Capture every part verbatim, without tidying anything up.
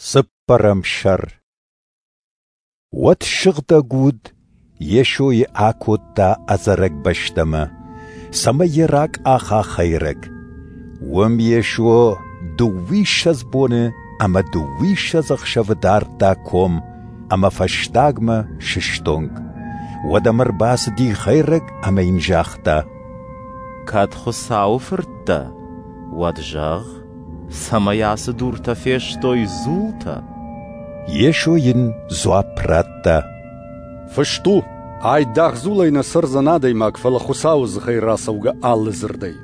Цыппӕрӕм сӕр. Уӕд Сыгъдӕг Уд Йесойы акодта ӕдзӕрӕг бӕстӕмӕ, цӕмӕй йӕ ракъаха хӕйрӕг. Уым Йесо дыууиссӕдз боны ӕмӕ дыууиссӕдз ӕхсӕвы дардта ком ӕмӕ фӕстагмӕ сыстонг. Уӕд ӕм ӕрбацыди хӕйрӕг ӕмӕ йын загъта: Кӕд Хуыцауы фырт дӕ, уӕд зӕгъ, цӕмӕй ацы дуртӕ фестой дзултӕ. Йесо йын дзуапп радта: Фыст у, айдагъ дзулӕй нӕ цӕрдзӕн адӕймаг, фӕлӕ Хуыцауы дзыхӕй рацӕугӕ алы дзырдӕй.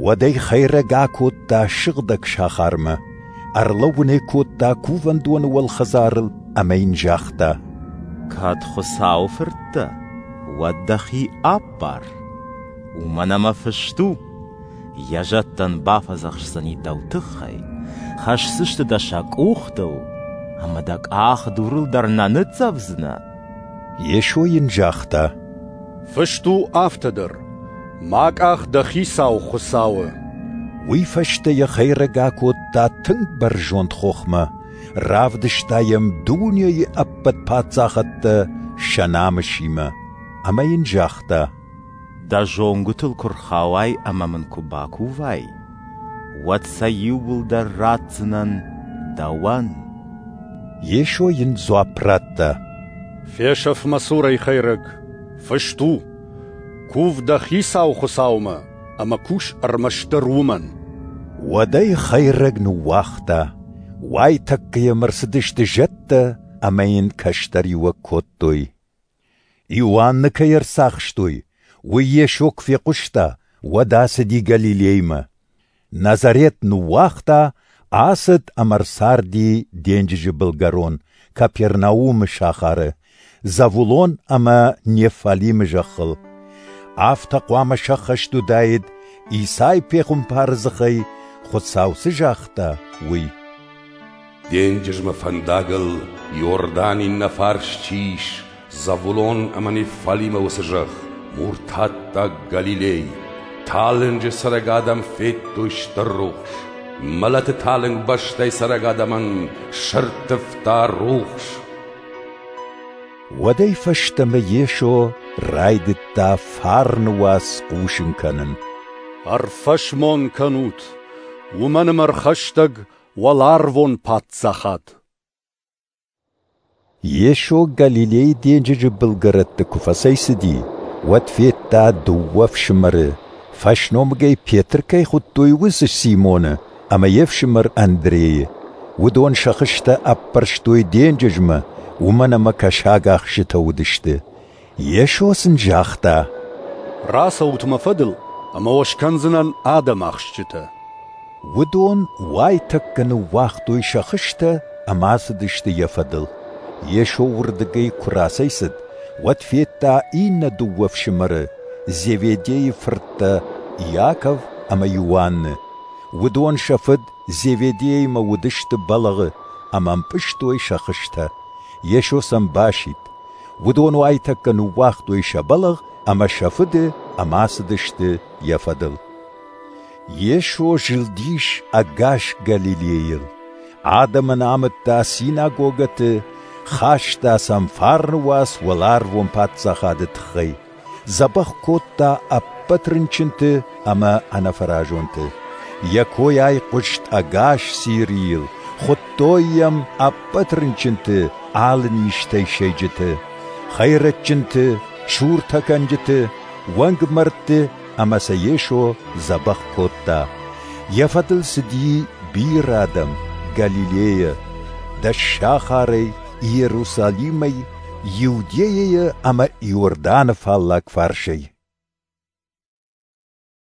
Уӕд ӕй хӕйрӕг акодта сыгъдӕг сахармӕ, ӕрлӕууын ӕй кодта кувӕндоны уӕлхӕдзарыл ӕмӕ йын загъта: Кӕд Хуыцауы фырт дӕ, уӕд дӕхи аппар. Уымӕн ӕмӕ фыст у, йӕ зӕдтӕн бафӕдзӕхсдзӕни дӕу тыххӕй, хӕсдзысты дӕ сӕ къухтыл, ӕмӕ дӕ къах дурыл дӕр нӕ ныццӕвдзынӕ. Йесо йын загъта: Фыст у афтӕ дӕр, ма къах дӕ Хицау Хуыцауы. Уый фӕстӕ йӕ хӕйрӕг акодта тынг бӕрзонд хохмӕ, равдыста йӕм дунейы ӕппӕт паддзахӕдтӕ сӕ намысимӕ, ӕмӕ йын загъта: Дӕ зонгуытыл куы рхауай ӕмӕ мын куы бакувай, уӕд сӕ иууылдӕр ратдзынӕн дӕуӕн. Йесо йын дзуапп радта: Фесӕф мӕ цурӕй, хӕйрӕг! Фыст у, кув дӕ Хицау Хуыцаумӕ ӕмӕ кус ӕрмӕстдӕр уымӕн. Уӕд ӕй хӕйрӕг ныууагъта, уайтӕккӕ йӕм ӕрцыдысты зӕдтӕ ӕмӕ йын кӕстӕриуӕг кодтой. Иоанны кӕй ӕрцахстой, уый Йесо куы фехъуыста, уӕд ацыди Галилеймӕ. Назарет ныууагъта, ацыд ӕмӕ ӕрцарди денджызы былгӕрон, Капернаумы сахары, Завулон ӕмӕ Неффалимы зӕххыл. Афтӕ хъуамӕ сӕххӕст уыдаид, Исай пехуымпары дзыхӕй Хуыцау цы загъта, уый: Денджызмӕ фӕндагыл Иорданы иннӕ фарс чи ис, Завулон ӕмӕ Неффалимы уыцы зӕхх, муртаттаг Галилей, талынджы цӕрӕг адӕм федтой стыр рухс, мӕлӕты талынг бӕстӕй цӕрӕг адӕмӕн сӕрттывта рухс. Уӕдӕй фӕстӕмӕ Йесо райдыдта фарны уац хъусын кӕнын. Ӕрфӕсмон кӕнут, уымӕн ӕмӕ ӕрхӕстӕг уӕларвон паддзахад. Йесо Галилейы денджызы былгӕрӕтты куы фӕцӕйцыди, уӕд федта дыууӕ ӕфсымӕры, фӕсномыгӕй Петр кӕй хуыдтой, уыцы Симоны ӕмӕ йе фсымӕр Андрейы. Уыдон сӕ хызтӕ ӕппӕрстой денджызмӕ, уымӕн ӕмӕ кӕсагахсджытӕ уыдысты. Йесо сын загъта: Рацӕут мӕ фӕдыл, ӕмӕ уӕ скӕндзынӕн адӕмахсджытӕ. Уыдон уайтӕккӕ ныууагътой сӕ хызтӕ ӕмӕ ацыдысты йӕ фӕдыл. Йесо уырдыгӕй куы рацӕйцыд, уӕд федта иннӕ дыууӕ ӕфсымӕры, Зеведейы фырттӕ Иаков ӕмӕ Иоанны. Уыдон сӕ фыд Зеведеимӕ уыдысты бӕлӕгъы ӕмӕ ӕмпъызтой сӕ хызтӕ. Йесо сӕм басидт. Уыдон уайтӕккӕ ныууагътой сӕ бӕлӕгъ ӕмӕ сӕ фыды ӕмӕ ацыдысты йӕ фӕдыл. Йесо зылдис ӕгас Галилейыл. Адӕмӕн амыдта синагогӕты, хаста сӕм фарны уац уӕларвон паддзахады тыххӕй, дзӕбӕх кодта ӕппӕт рынчынты ӕмӕ ӕнӕфӕразонты. Йӕ кой айхъуыст ӕгас Сирийыл, хуыдтой йӕм ӕппӕт рынчынты, алы низтӕй сӕйджыты, хӕйрӕджджынты, суртӕкӕнджыты, уӕнгмӕрдты ӕмӕ сӕ Йесо дзӕбӕх кодта. Йӕ фӕдыл цыди бирӕ адӕм Галилейӕ, Дӕссахарӕй, Иерусалимӕй, Иудейӕйӕ ӕмӕ Иорданы фаллаг фарсӕй.